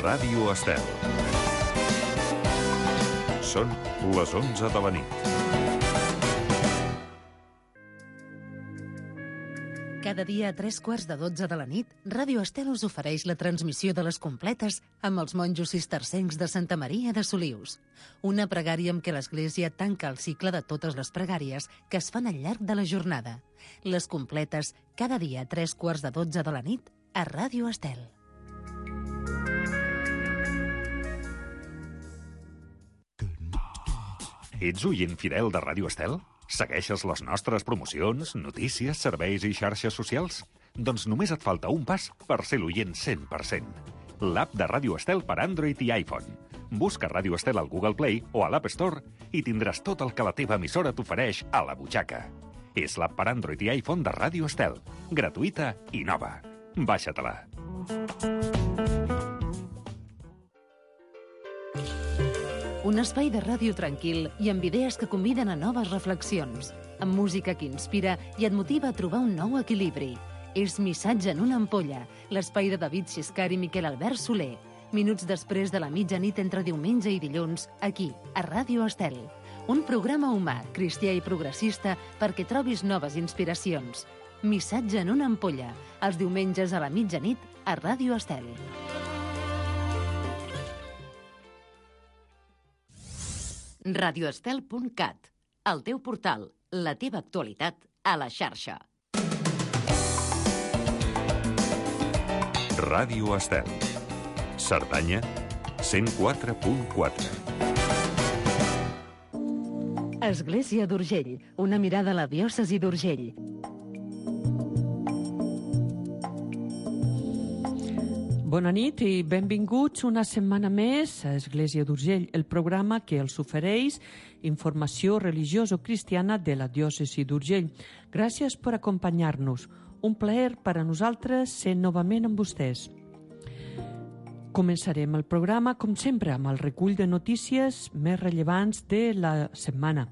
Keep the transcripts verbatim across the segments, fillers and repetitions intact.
Ràdio Estel. Són les onze de la nit. Cada dia a tres quarts de dotze de la nit, Ràdio Estel us ofereix la transmissió de les completes amb els monjos cistercencs de Santa Maria de Solius. Una pregària amb què l'Església tanca el cicle de totes les pregàries que es fan al llarg de la jornada. Les completes, cada dia a tres quarts de dotze de la nit, a Ràdio Estel. Ets oient fidel de Ràdio Estel? Segueixes les nostres promocions, notícies, serveis i xarxes socials? Doncs només et falta un pas per ser l'oient cent per cent. L'app de Ràdio Estel per Android i iPhone. Busca Ràdio Estel al Google Play o a l'App Store i tindràs tot el que la teva emissora t'ofereix a la butxaca. És l'app per Android i iPhone de Ràdio Estel. Gratuïta i nova. Baixa-te-la. Un espai de ràdio tranquil i amb idees que conviden a noves reflexions, amb música que inspira i et motiva a trobar un nou equilibri. És Missatge en una ampolla, l'espai de David Xiscar i Miquel Albert Soler. Minuts després de la mitjanit entre diumenge i dilluns, aquí, a Ràdio Estel. Un programa humà, cristià i progressista perquè trobis noves inspiracions. Missatge en una ampolla, els diumenges a la mitjanit a Ràdio Estel. radioestel punt cat, el teu portal, la teva actualitat a la xarxa. Ràdio Estel. Cerdanya, cent quatre punt quatre. Església d'Urgell, una mirada a la diòcesi d'Urgell. Bona nit i benvinguts una setmana més a Església d'Urgell, el programa que els ofereix informació religioso-cristiana de la diòcesi d'Urgell. Gràcies per acompanyar-nos. Un plaer per a nosaltres ser novament amb vostès. Començarem el programa, com sempre, amb el recull de notícies més rellevants de la setmana.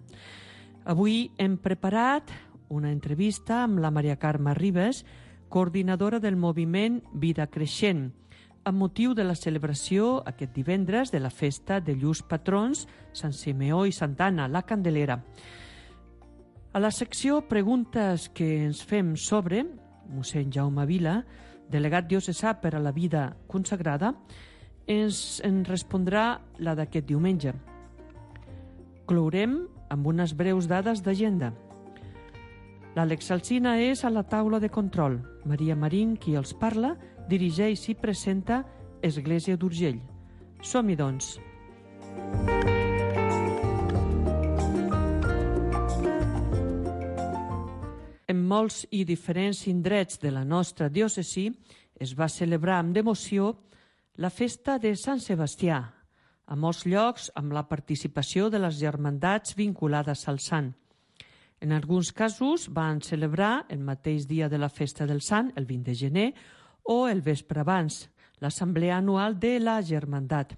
Avui hem preparat una entrevista amb la Maria Carme Ribes, coordinadora del moviment Vida Creixent, amb motiu de la celebració aquest divendres de la festa de llurs patrons, Sant Simeó i Santa Anna, la Candelera. A la secció Preguntes que ens fem sobre, mossèn Jaume Vila, delegat diocesà per a la vida consagrada, ens en respondrà la d'aquest diumenge. Clourem amb unes breus dades d'agenda. L'Àlex Alsina és a la taula de control. Maria Marín, qui els parla, dirigeix i presenta Església d'Urgell. Som-hi, doncs. En molts i diferents indrets de la nostra diòcesi es va celebrar amb devoció la festa de Sant Sebastià, a molts llocs amb la participació de les germandats vinculades al sant. En alguns casos van celebrar el mateix dia de la festa del Sant, el vint de gener, o el vespre abans, l'assemblea anual de la germandat.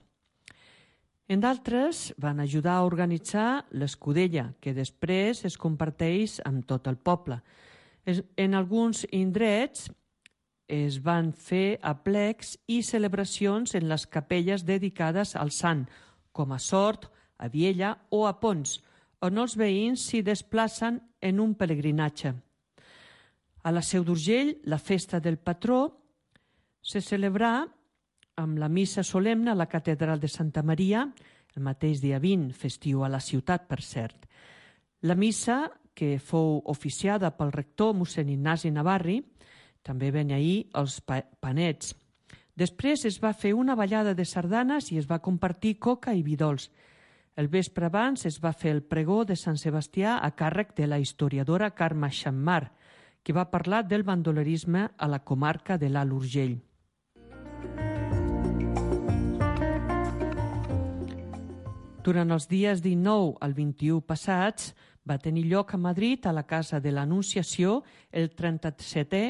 En d'altres van ajudar a organitzar l'escudella, que després es comparteix amb tot el poble. En alguns indrets es van fer aplecs i celebracions en les capelles dedicades al Sant, com a Sort, a Viella o a Pons, on els veïns s'hi desplacen en un pelegrinatge. A la Seu d'Urgell, la festa del patró se celebrà amb la missa solemne a la catedral de Santa Maria, el mateix dia vint, festiu a la ciutat, per cert. La missa, que fou oficiada pel rector mossèn Ignasi Navarri, també beneí els panets. Després es va fer una ballada de sardanes i es va compartir coca i vi dolç. El vespre abans es va fer el pregó de Sant Sebastià a càrrec de la historiadora Carme Xammar, que va parlar del bandolerisme a la comarca de l'Alt Urgell. Durant els dies dinou al vint-i-u passats va tenir lloc a Madrid, a la Casa de l'Anunciació, el trenta-setè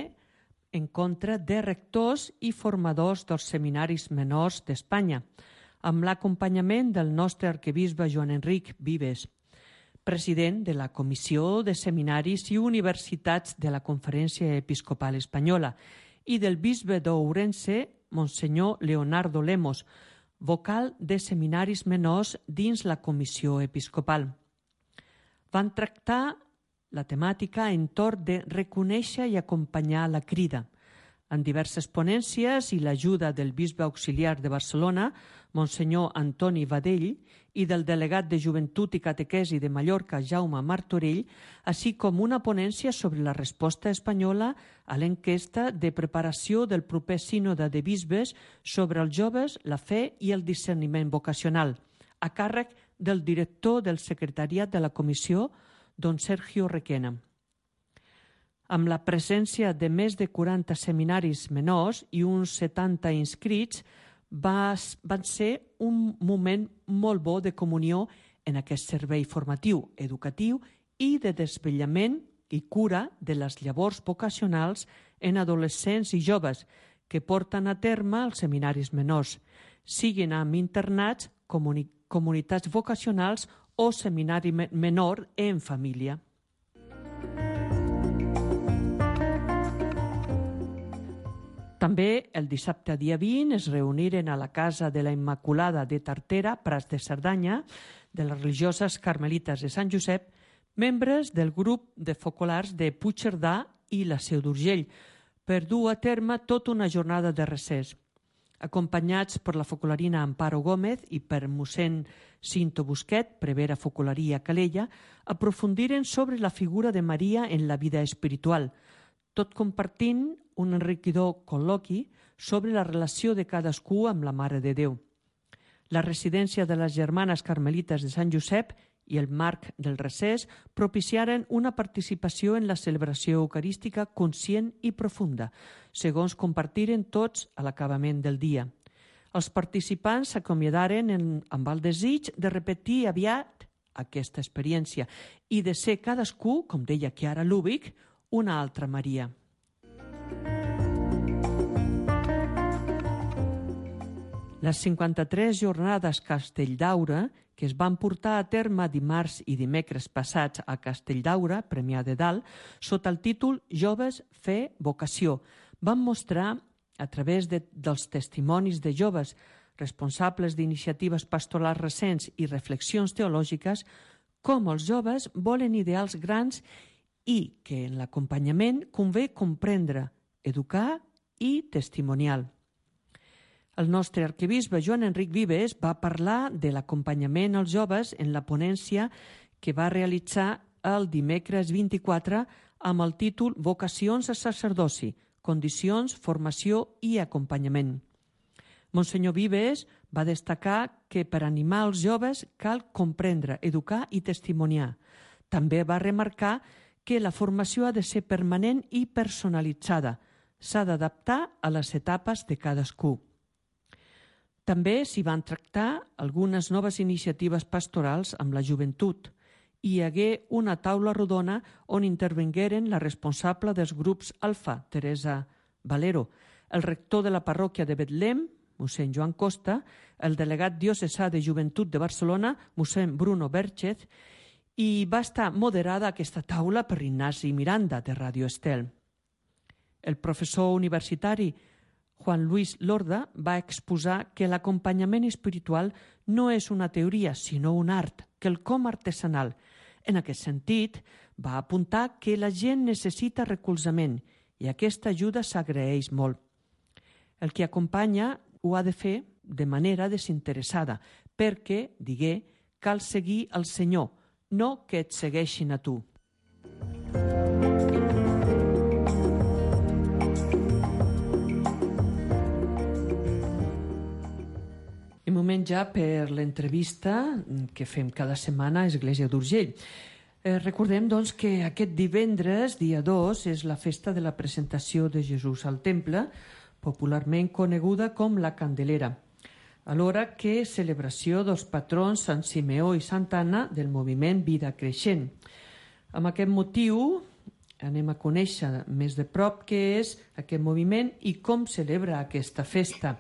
encontre de rectors i formadors dels seminaris menors d'Espanya, amb l'acompanyament del nostre arquebisbe Joan Enric Vives, president de la Comissió de Seminaris i Universitats de la Conferència Episcopal Espanyola, i del bisbe d'Ourense, Monsenyor Leonardo Lemos, vocal de seminaris menors dins la comissió episcopal. Van tractar la temàtica entorn de reconèixer i acompanyar la crida. En diverses ponències i l'ajuda del bisbe auxiliar de Barcelona, Monsenyor Antoni Badell, i del delegat de Joventut i Catequesi de Mallorca, Jaume Martorell, així com una ponència sobre la resposta espanyola a l'enquesta de preparació del proper sínode de bisbes sobre els joves, la fe i el discerniment vocacional, a càrrec del director del secretariat de la comissió, don Sergio Requena. Amb la presència de més de quaranta seminaris menors i uns setanta inscrits, va, van ser un moment molt bo de comunió en aquest servei formatiu, educatiu i de desvetllament i cura de les llavors vocacionals en adolescents i joves que porten a terme els seminaris menors, siguin amb internats, comuni comunitats vocacionals o seminari menor en família. També el dissabte dia vint es reuniren a la Casa de la Immaculada de Tartera, Prats de Cerdanya, de les religioses carmelites de Sant Josep, membres del grup de focolars de Puigcerdà i la Seu d'Urgell, per dur a terme tota una jornada de recés. Acompanyats per la focolarina Amparo Gómez i per mossèn Cinto Busquet, prevera focolaria Calella, aprofundiren sobre la figura de Maria en la vida espiritual, tot compartint un enriquidor col·loqui sobre la relació de cadascú amb la Mare de Déu. La residència de les Germanes Carmelites de Sant Josep i el marc del recés propiciaren una participació en la celebració eucarística conscient i profunda, segons compartiren tots a l'acabament del dia. Els participants s'acomiadaren amb el desig de repetir aviat aquesta experiència i de ser cadascú, com deia Chiara Lubich, una altra Maria. Les cinquanta-tres jornades Castelldaura, que es van portar a terme dimarts i dimecres passats a Castelldaura, Premià de Dalt, sota el títol Joves, Fe, Vocació, van mostrar, a través de, dels testimonis de joves responsables d'iniciatives pastorals recents i reflexions teològiques, com els joves volen ideals grans i que en l'acompanyament convé comprendre, educar i testimonial. El nostre arquebisbe Joan Enric Vives va parlar de l'acompanyament als joves en la ponència que va realitzar el dimecres vint-i-quatre amb el títol Vocacions a sacerdoci, condicions, formació i acompanyament. Monsenyor Vives va destacar que per animar els joves cal comprendre, educar i testimoniar. També va remarcar que la formació ha de ser permanent i personalitzada. S'ha d'adaptar a les etapes de cadascú. També s'hi van tractar algunes noves iniciatives pastorals amb la joventut. Hi hagué una taula rodona on intervingueren la responsable dels grups Alfa, Teresa Valero, el rector de la parròquia de Betlem, mossèn Joan Costa, el delegat diocesà de Joventut de Barcelona, mossèn Bruno Berchez, i va estar moderada aquesta taula per Ignasi Miranda, de Ràdio Estel. El professor universitari Juan Luis Lorda va exposar que l'acompanyament espiritual no és una teoria, sinó un art, quelcom artesanal. En aquest sentit, va apuntar que la gent necessita recolzament i aquesta ajuda s'agraeix molt. El que acompanya ho ha de fer de manera desinteressada, perquè, digué, cal seguir el Senyor, no que et segueixin a tu. I moment ja per l'entrevista que fem cada setmana a Església d'Urgell. Eh, recordem, doncs, que aquest divendres, dia dos, és la festa de la presentació de Jesús al Temple, popularment coneguda com la Candelera, alhora que celebració dels patrons Sant Simeó i Santa Anna del moviment Vida Creixent. Amb aquest motiu anem a conèixer més de prop què és aquest moviment i com celebra aquesta festa.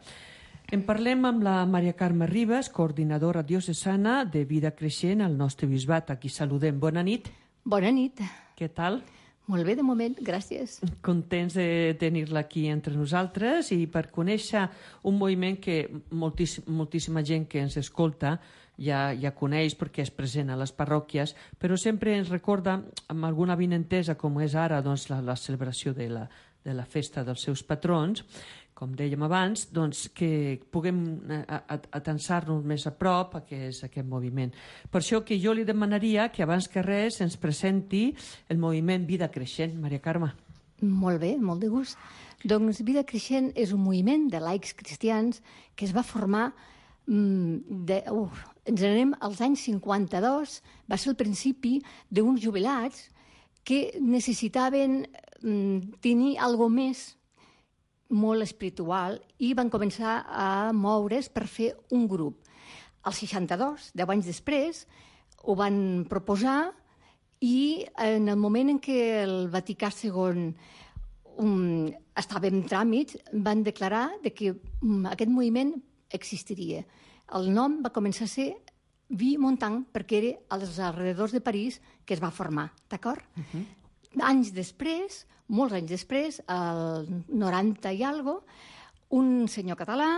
En parlem amb la Maria Carme Ribas, coordinadora diocesana de Vida Creixent al nostre bisbat. Aquí saludem. Bona nit. Bona nit. Què tal? Molt bé, de moment, gràcies. Contents de tenir-la aquí entre nosaltres i per conèixer un moviment que moltíssim, moltíssima gent que ens escolta ja, ja coneix perquè és present a les parròquies, però sempre ens recorda amb alguna vinentesa, com és ara doncs, la, la celebració de la, de la festa dels seus patrons, com dèiem abans, doncs, que puguem atensar-nos més a prop a què és aquest moviment. Per això que jo li demanaria que abans que res ens presenti el moviment Vida Creixent. Maria Carme. Molt bé, molt de gust. Doncs Vida Creixent és un moviment de laics cristians que es va formar de, uf, ens anem als anys cinquanta-dos, va ser el principi d'uns jubilats que necessitaven mm, tenir alguna més molt espiritual i van començar a moure's per fer un grup. Al seixanta-dos, deu anys després, ho van proposar i en el moment en què el Vaticà segon um, estava en tràmit, van declarar de que um, aquest moviment existiria. El nom va començar a ser Vie Montagne perquè era als alrededors de París que es va formar, d'acord? Uh-huh. Anys després, molts anys després, al noranta i algo, un senyor català,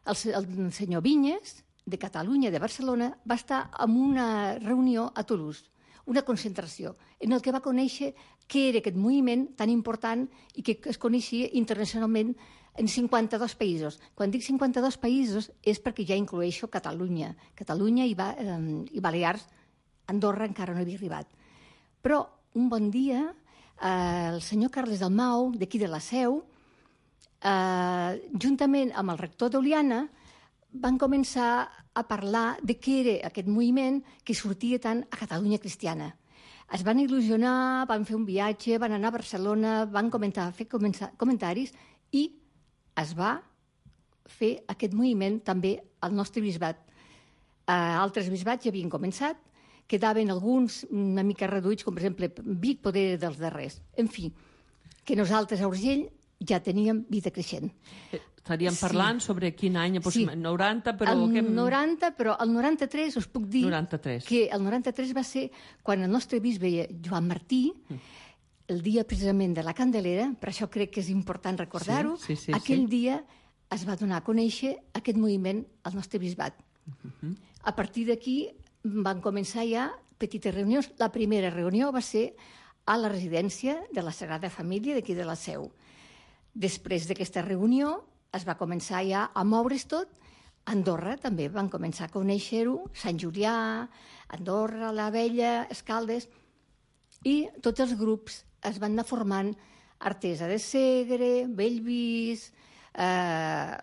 el, el senyor Vinyes, de Catalunya, de Barcelona, va estar en una reunió a Toulouse, una concentració, en el que va conèixer què era aquest moviment tan important i que es coneixia internacionalment en cinquanta-dos països. Quan dic cinquanta-dos països és perquè ja incloeixo Catalunya. Catalunya i, ba eh, i Balears, Andorra encara no havia arribat. Però un bon dia, eh, el senyor Carles Dalmau, d'aquí de la Seu, eh, juntament amb el rector d'Oliana, van començar a parlar de què era aquest moviment que sortia tant a Catalunya Cristiana. Es van il·lusionar, van fer un viatge, van anar a Barcelona, van comentar, fer comentaris i es va fer aquest moviment també al nostre bisbat. Eh, altres bisbats ja havien començat, quedaven alguns una mica reduïts, com per exemple Vic, poder dels darrers. En fi, que nosaltres a Urgell ja teníem Vida Creixent. Estaríem parlant sí. sobre quin any, sí. noranta, però... El que... noranta, però el noranta-tres us puc dir noranta-tres. Que el noranta-tres va ser quan el nostre bisbe Joan Martí, el dia precisament de la Candelera, per això crec que és important recordar-ho, sí, sí, sí, aquell sí. dia es va donar a conèixer aquest moviment al nostre bisbat. Uh-huh. A partir d'aquí van començar ja petites reunions. La primera reunió va ser a la residència de la Sagrada Família d'aquí de la Seu. Després d'aquesta reunió es va començar ja a moure's tot. A Andorra també van començar a conèixer-ho, Sant Julià, Andorra, la Vella, Escaldes, i tots els grups es van anar formant Artesa de Segre, Bellvís, eh,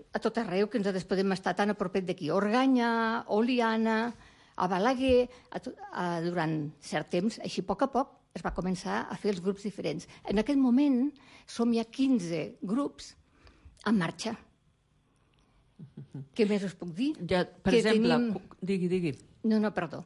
a tot arreu, que ens podem estar tan a propet d'aquí, Organyà, Oliana, a Balaguer, a to, a, durant cert temps, així a poc a poc, es va començar a fer els grups diferents. En aquest moment som ja quinze grups en marxa. Què més us puc dir? Ja, per que exemple, tenim... digui, digui. No, no, perdó.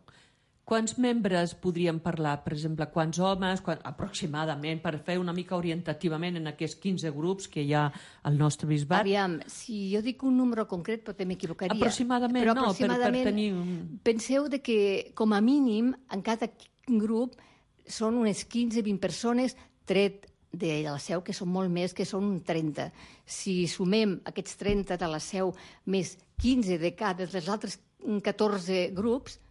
Quants membres podríem parlar? Per exemple, quants homes, quan, aproximadament, per fer una mica orientativament en aquests quinze grups que hi ha al nostre bisbat? Aviam, si jo dic un número concret potser m'equivocaria. Aproximadament, però no, aproximadament, per, per tenir... Un... Penseu de que, com a mínim, en cada grup són unes quinze a vint persones, tret de la Seu, que són molt més, que són trenta. Si sumem aquests trenta de la Seu més quinze de cada dels altres catorze grups,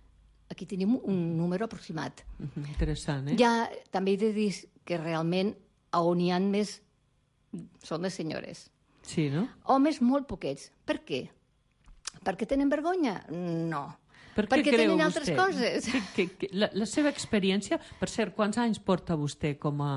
aquí tenim un número aproximat. Interessant, eh? Ja també he de dir que realment on hi ha més són les senyores. Sí, no? Homes molt poquets. Per què? Perquè tenen vergonya? No. Per Perquè tenen altres vostè? coses. Que, que, que, la, la seva experiència, per cert, quants anys porta vostè com a...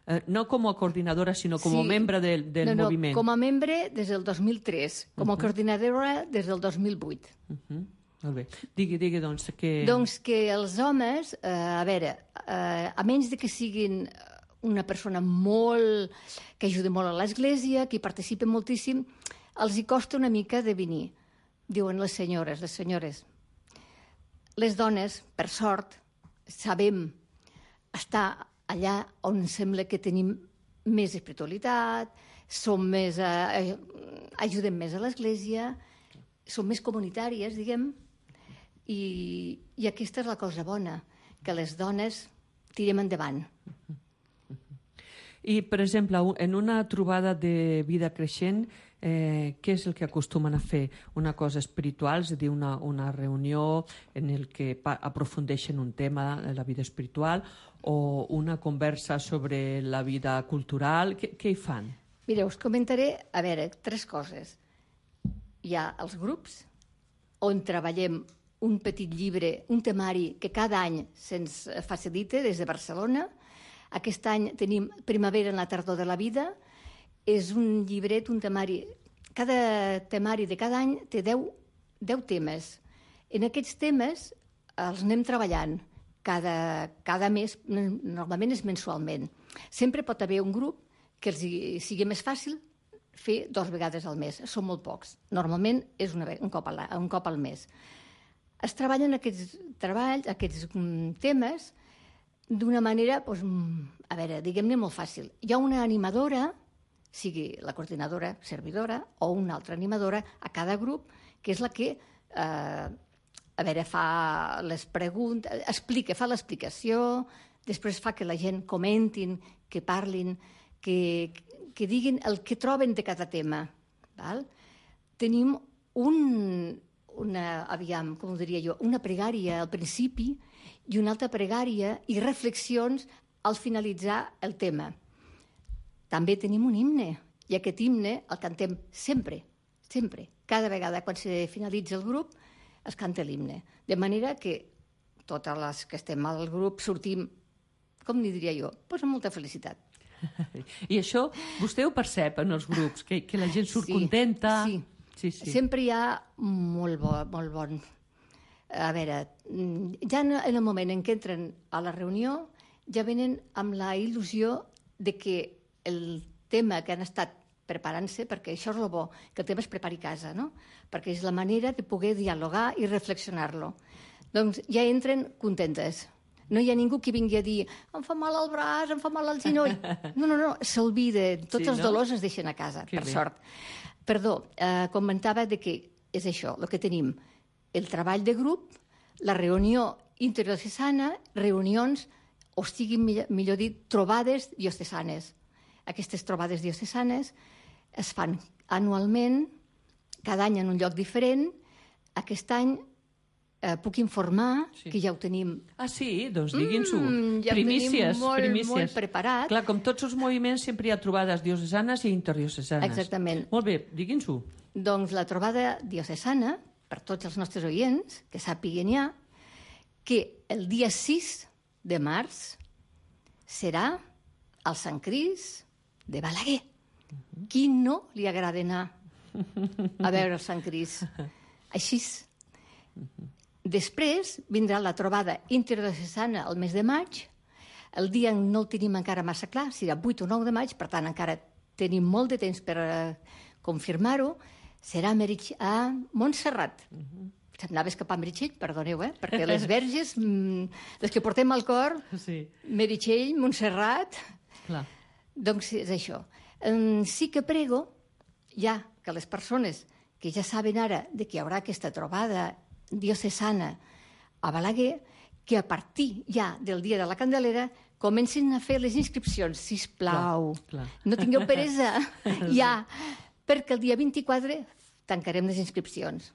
Eh, no com a coordinadora, sinó com a sí. membre del, del no, no, moviment? Com a membre des del dos mil tres, com a uh -huh. coordinadora des del dos mil vuit. Uh -huh. Molt bé. Digui, digui, doncs, que... Doncs que els homes, eh, a veure, eh, a menys de que siguin una persona molt... que ajuda molt a l'església, que hi participa moltíssim, els hi costa una mica de venir. Diuen les senyores, les senyores. Les dones, per sort, sabem estar allà on sembla que tenim més espiritualitat, som més... Eh, ajudem més a l'església, som més comunitàries, diguem, i, i aquesta és la cosa bona, que les dones tirem endavant. I, per exemple, en una trobada de vida creixent, eh, què és el que acostumen a fer? Una cosa espiritual, és a dir, una, una reunió en el que aprofundeixen un tema de la vida espiritual, o una conversa sobre la vida cultural? Què, què hi fan? Mira, us comentaré, a veure, tres coses. Hi ha els grups, on treballem un petit llibre, un temari que cada any se'ns facilita des de Barcelona. Aquest any tenim Primavera en la tardor de la vida. És un llibret, un temari. Cada temari de cada any té deu, deu temes. En aquests temes els anem treballant cada, cada mes, normalment és mensualment. Sempre pot haver un grup que els sigui més fàcil fer dues vegades al mes. Són molt pocs. Normalment és una, un, cop al, un cop al mes. Es treballen aquests treballs, aquests um, temes, d'una manera, doncs, a veure, diguem-ne molt fàcil. Hi ha una animadora, sigui la coordinadora, servidora, o una altra animadora a cada grup, que és la que, eh, a veure, fa les preguntes, explica, fa l'explicació, després fa que la gent comentin, que parlin, que, que diguin el que troben de cada tema. Val? Tenim un, una, aviam, com ho diria jo, una pregària al principi i una altra pregària i reflexions al finalitzar el tema. També tenim un himne, i aquest himne el cantem sempre, sempre. Cada vegada quan se finalitza el grup es canta l'himne. De manera que totes les que estem al grup sortim, com ni diria jo, doncs amb molta felicitat. I això vostè ho percep en els grups, que, que la gent surt sí, contenta? Sí, sí, sí. Sempre hi ha molt bo, molt bon. A veure, ja en el moment en què entren a la reunió ja venen amb la il·lusió de que el tema que han estat preparant-se, perquè això és el bo, que el tema es prepari a casa, no? Perquè és la manera de poder dialogar i reflexionar-lo. Doncs ja entren contentes. No hi ha ningú que vingui a dir em fa mal el braç, em fa mal el genoll. No, no, no, s'olvida. Tots sí, els no? dolors es deixen a casa, que per bé. Sort. Perdó, eh, comentava de que és això, el que tenim. El treball de grup, la reunió interdiocesana, reunions, o sigui, millor, millor dit, trobades diocesanes. Aquestes trobades diocesanes es fan anualment, cada any en un lloc diferent. Aquest any eh, puc informar sí. que ja ho tenim... Ah, sí? Doncs diguin-s'ho. Mm, ja primícies, ho tenim molt, primícies. molt preparat. Clar, com tots els moviments, sempre hi ha trobades diocesanes i interdiocesanes. Exactament. Molt bé, diguin-s'ho. Doncs la trobada diocesana, per tots els nostres oients, que sàpiguen ja, que el dia sis de març serà al Sant Cris de Balaguer. Uh-huh. Qui no li agrada anar a veure el Sant Cris? Així. Uh-huh. Després vindrà la trobada interdiocesana el mes de maig. El dia no el tenim encara massa clar, serà vuit o nou de maig, per tant encara tenim molt de temps per uh, confirmar-ho. Serà a Montserrat. Uh-huh. S'anava a escapar Meritxell, perdoneu, eh? Perquè les verges, mmm, les que portem al cor, sí. Meritxell, Montserrat... Clar. Doncs és això. Um, sí que prego, ja que les persones que ja saben ara de que hi haurà aquesta trobada diocesana a Balaguer, que a partir ja del dia de la Candelera comencin a fer les inscripcions, sisplau. Clar, clar. No tingueu peresa, ja, perquè el dia vint-i-quatre tancarem les inscripcions.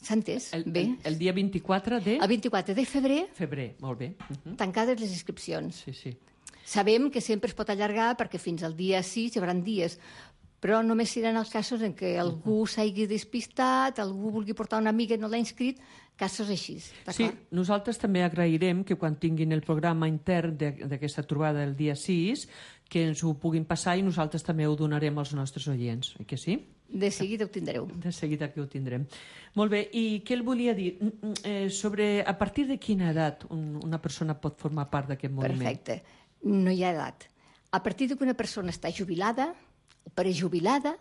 S'ha entès? El, bé? El, el dia vint-i-quatre de... El vint-i-quatre de febrer. Febrer, molt bé. Uh-huh. Tancades les inscripcions. Sí, sí. Sabem que sempre es pot allargar perquè fins al dia sis hi haurà dies, però només seran els casos en què algú s'hagi despistat, algú vulgui portar una amiga i no l'ha inscrit, casos així. Sí, nosaltres també agrairem que quan tinguin el programa intern d'aquesta trobada el dia sis, que ens ho puguin passar i nosaltres també ho donarem als nostres oients, oi que sí? De seguida ho tindreu. De seguida que ho tindrem. Molt bé, i què el volia dir? Eh, sobre a partir de quina edat un, una persona pot formar part d'aquest moviment? Perfecte, no hi ha edat. A partir que una persona està jubilada o prejubilada,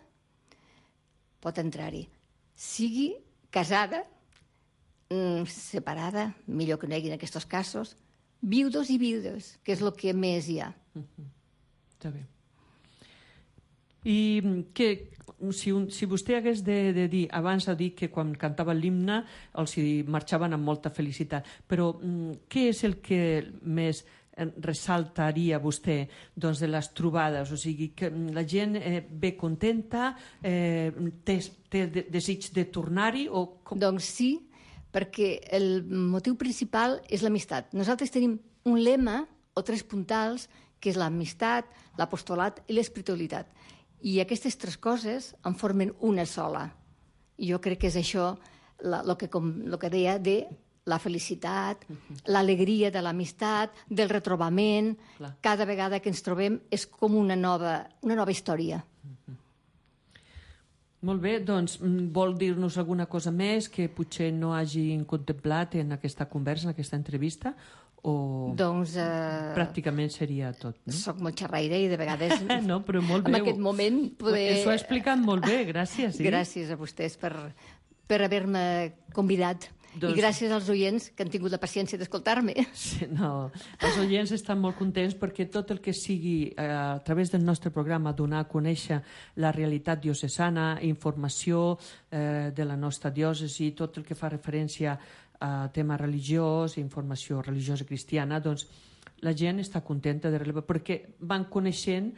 pot entrar-hi. Sigui casada, separada, millor que no hi hagi en aquests casos, viudos i viudes, que és el que més hi ha. Uh-huh. Està bé. I que si, un, si vostè hagués de, de dir, abans ha dit que quan cantava l'himne els hi marxaven amb molta felicitat, però mm, què és el que més ressaltaria vostè doncs, de les trobades? O sigui, que la gent eh, ve contenta, eh, té, té de, desig de tornar-hi? O com... Doncs sí, perquè el motiu principal és l'amistat. Nosaltres tenim un lema o tres puntals, que és l'amistat, l'apostolat i l'espiritualitat. I aquestes tres coses en formen una sola. I jo crec que és això el que, com, lo que deia de la felicitat, l'alegria de l'amistat, del retrobament. Clar. Cada vegada que ens trobem és com una nova, una nova història. Molt bé, doncs vol dir-nos alguna cosa més que potser no hagin contemplat en aquesta conversa, en aquesta entrevista? O doncs, eh, pràcticament seria tot, no? Soc molt xerraire i de vegades no, però molt bé. En aquest moment poder... Això ho ha explicat molt bé, gràcies. Sí? Gràcies a vostès per, per haver-me convidat. Doncs... I gràcies als oients que han tingut la paciència d'escoltar-me. Sí, no, els oients estan molt contents perquè tot el que sigui eh, a través del nostre programa donar a conèixer la realitat diocesana, informació eh, de la nostra diòcesi, tot el que fa referència a tema religiós, informació religiosa cristiana, doncs la gent està contenta de relevar perquè van coneixent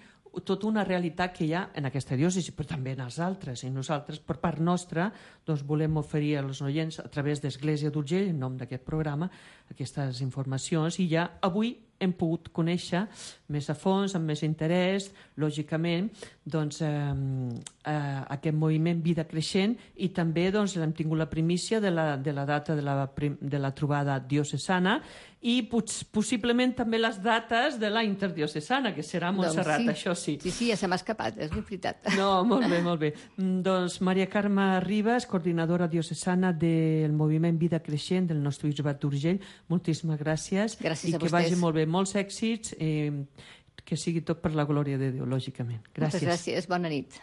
tota una realitat que hi ha en aquesta diòcesi, però també en els altres. I nosaltres, per part nostra, doncs, volem oferir als oients, a través d'Església d'Urgell, en nom d'aquest programa, aquestes informacions, i ja avui hem pogut conèixer més a fons, amb més interès, lògicament, doncs, eh, eh, aquest moviment Vida Creixent, i també doncs, hem tingut la primícia de la, de la data de la, de la trobada diocesana, i pots, possiblement també les dates de la interdiocesana, que serà a Montserrat, doncs sí. Això sí. Sí, sí, ja se m'ha escapat, és veritat. No, molt bé, molt bé. Doncs Maria Carme Ribas, coordinadora diocesana del moviment Vida Creixent del nostre bisbat d'Urgell, moltíssimes gràcies. Gràcies i a vostès. I que vagi molt bé, molts èxits, eh, que sigui tot per la glòria de Déu, lògicament. Gràcies. Moltes gràcies, bona nit.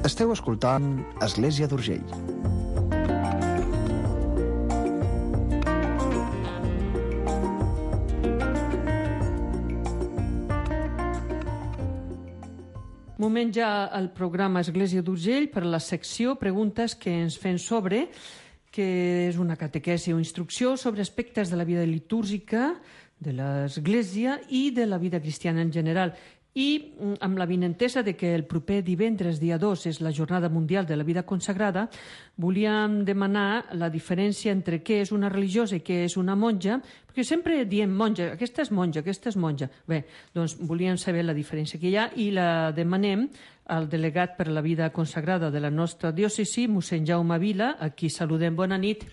Esteu escoltant Església d'Urgell. Moment ja al programa Església d'Urgell per la secció Preguntes que ens fem sobre, que és una catequesi o instrucció sobre aspectes de la vida litúrgica de l'Església i de la vida cristiana en general. I amb la vinentesa de que el proper divendres, dia dos, és la Jornada Mundial de la Vida Consagrada, volíem demanar la diferència entre què és una religiosa i què és una monja, perquè sempre diem monja, aquesta és monja, aquesta és monja. Bé, doncs volíem saber la diferència que hi ha i la demanem al delegat per la vida consagrada de la nostra diòcesi, mossèn Jaume Vila, a qui saludem. Bona nit.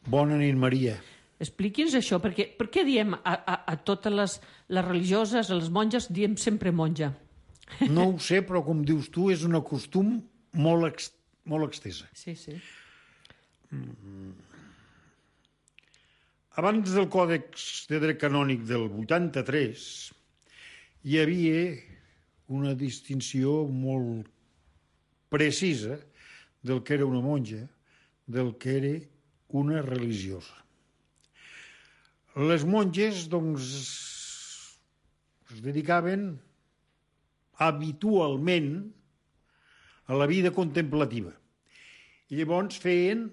Bona nit, Maria. Expliqui'ns això, perquè per què diem a, a, a totes les, les religioses, a les monges, diem sempre monja? No ho sé, però com dius tu, és un costum molt, ex, molt extesa. Sí, sí. Mm. Abans del Còdex de Dret Canònic del vuitanta-tres hi havia una distinció molt precisa del que era una monja, del que era una religiosa. Les monges, doncs, es dedicaven habitualment a la vida contemplativa. I llavors feien,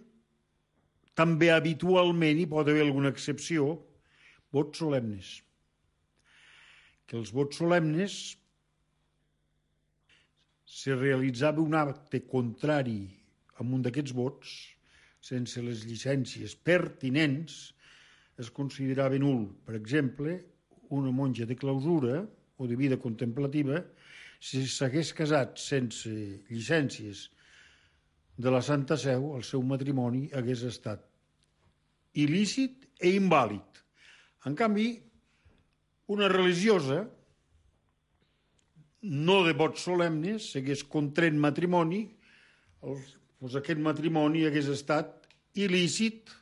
també habitualment, hi pot haver alguna excepció, vots solemnes. Que els vots solemnes se realitzava un acte contrari a un d'aquests vots, sense les llicències pertinents, es considerava nul. Per exemple, una monja de clausura o de vida contemplativa, si s'hagués casat sense llicències de la Santa Seu, el seu matrimoni hagués estat il·lícit i invàlid. En canvi, una religiosa, no de vots solemnes, s'hagués contret matrimoni, doncs aquest matrimoni hagués estat il·lícit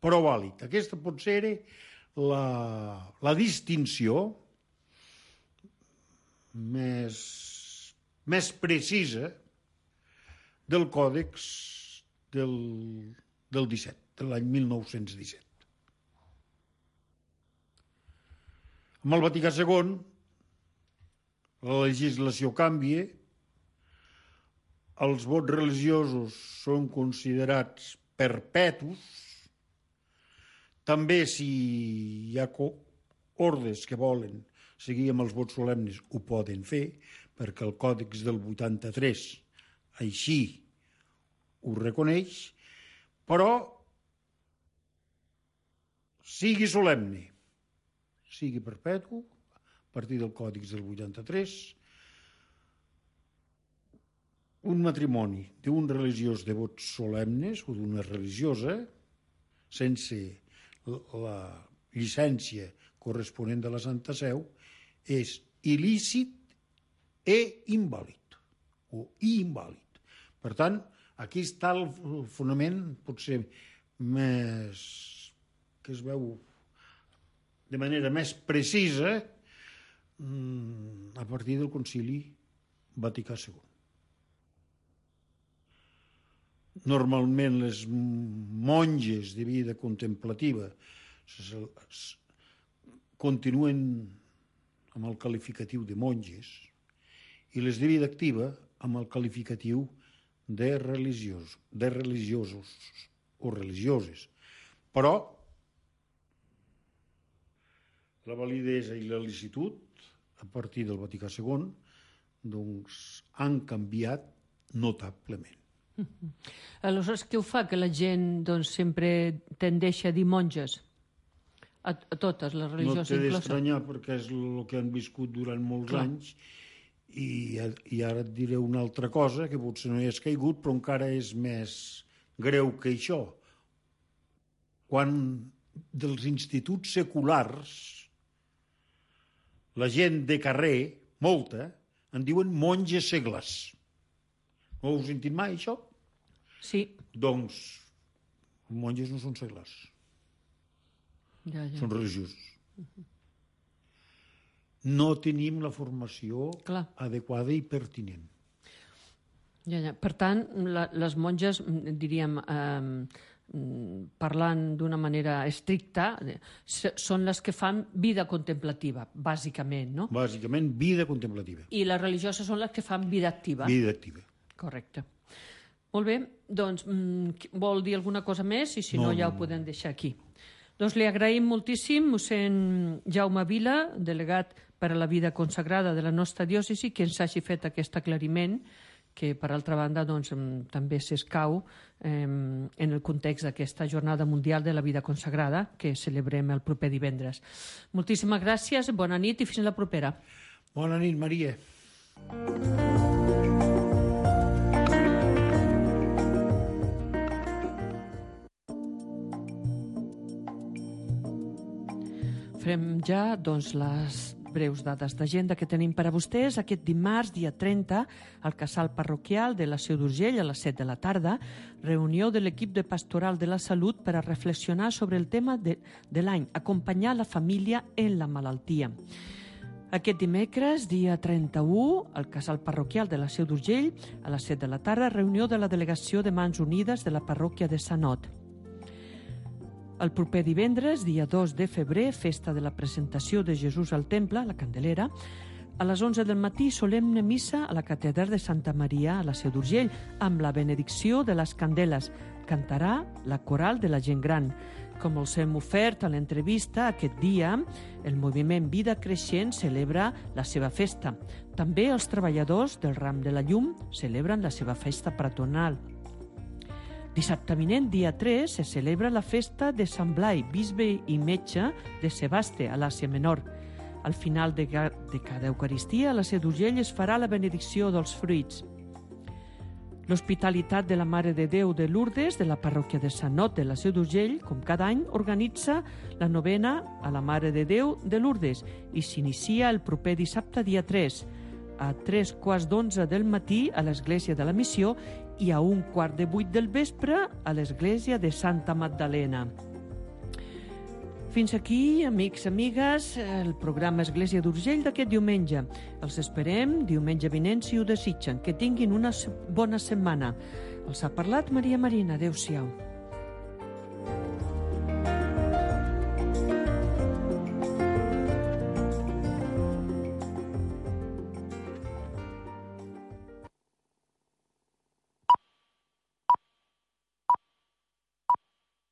però vàlid. Aquesta pot ser la, la distinció més, més precisa del còdex del, del disset, de l'any mil nou-cents disset. Amb el Vaticà segon, la legislació canvia, els vots religiosos són considerats perpetus, també si hi ha ordes que volen seguir amb els vots solemnes ho poden fer, perquè el Còdex del vuitanta-tres així ho reconeix, però sigui solemne, sigui perpetu, a partir del Còdex del vuitanta-tres, un matrimoni d'un religiós de vots solemnes o d'una religiosa, sense la llicència corresponent de la Santa Seu, és il·lícit e invàlid, o invàlid. Per tant, aquí està el fonament, potser més, que es veu de manera més precisa a partir del Concili Vaticà segon. Normalment les monges de vida contemplativa continuen amb el qualificatiu de monges i les de vida activa amb el qualificatiu de religiosos, de religiosos o religioses. Però la validesa i la licitud, a partir del Vaticà segon, doncs han canviat notablement. Aleshores, què ho fa que la gent doncs, sempre tendeix a dir monges? A, a totes les religions incloses? No incloses? t'he d'estranyar perquè és el que han viscut durant molts Clar. anys i, i ara et diré una altra cosa que potser no hi has caigut però encara és més greu que això. Quan dels instituts seculars la gent de carrer, molta, en diuen monges segles. No ho heu sentit mai, això? Sí. Doncs, els monges no són seglars. Ja, ja. Són religiosos. Uh-huh. No tenim la formació Clar. adequada i pertinent. Ja, ja. Per tant, la, les monges, diríem, eh, parlant d'una manera estricta, són les que fan vida contemplativa, bàsicament, no? Bàsicament, vida contemplativa. I les religioses són les que fan vida activa. Vida activa. Correcte. Molt bé, doncs vol dir alguna cosa més i si no, no ja ho podem deixar aquí. Doncs li agraïm moltíssim mossèn Jaume Vila, delegat per a la vida consagrada de la nostra diòcesi, que ens hagi fet aquest aclariment que, per altra banda, doncs, també s'escau eh, en el context d'aquesta Jornada Mundial de la Vida Consagrada que celebrem el proper divendres. Moltíssimes gràcies, bona nit i fins la propera. Bona nit, Maria. Farem ja doncs, les breus dades d'agenda que tenim per a vostès. Aquest dimarts, dia trenta, al casal parroquial de la Seu d'Urgell a les set de la tarda, reunió de l'equip de Pastoral de la Salut per a reflexionar sobre el tema de, de l'any, acompanyar la família en la malaltia. Aquest dimecres, dia trenta-u, al casal parroquial de la Seu d'Urgell, a les set de la tarda, reunió de la delegació de Mans Unides de la parròquia de Sanot. El proper divendres, dia dos de febrer, festa de la presentació de Jesús al Temple, la Candelera, a les onze del matí, solemne missa a la catedral de Santa Maria a la Seu d'Urgell, amb la benedicció de les candeles. Cantarà la coral de la gent gran. Com els hem ofert a l'entrevista, aquest dia el moviment Vida Creixent celebra la seva festa. També els treballadors del ram de la llum celebren la seva festa patronal. Dissabte vinent, dia tres, se celebra la festa de Sant Blai, bisbe i metge de Sebaste, a l'Àsia Menor. Al final de, de cada Eucaristia, a la Seu d'Urgell es farà la benedicció dels fruits. L'Hospitalitat de la Mare de Déu de Lourdes, de la parròquia de Sanot de la Seu d'Urgell, com cada any, organitza la novena a la Mare de Déu de Lourdes i s'inicia el proper dissabte, dia tres, a tres quarts d'onze del matí a l'Església de la Missió i a un quart de vuit del vespre a l'Església de Santa Magdalena. Fins aquí, amics, amigues, el programa Església d'Urgell d'aquest diumenge. Els esperem diumenge vinent si ho desitgen. Que tinguin una bona setmana. Els ha parlat Maria Marina. Adéu-siau.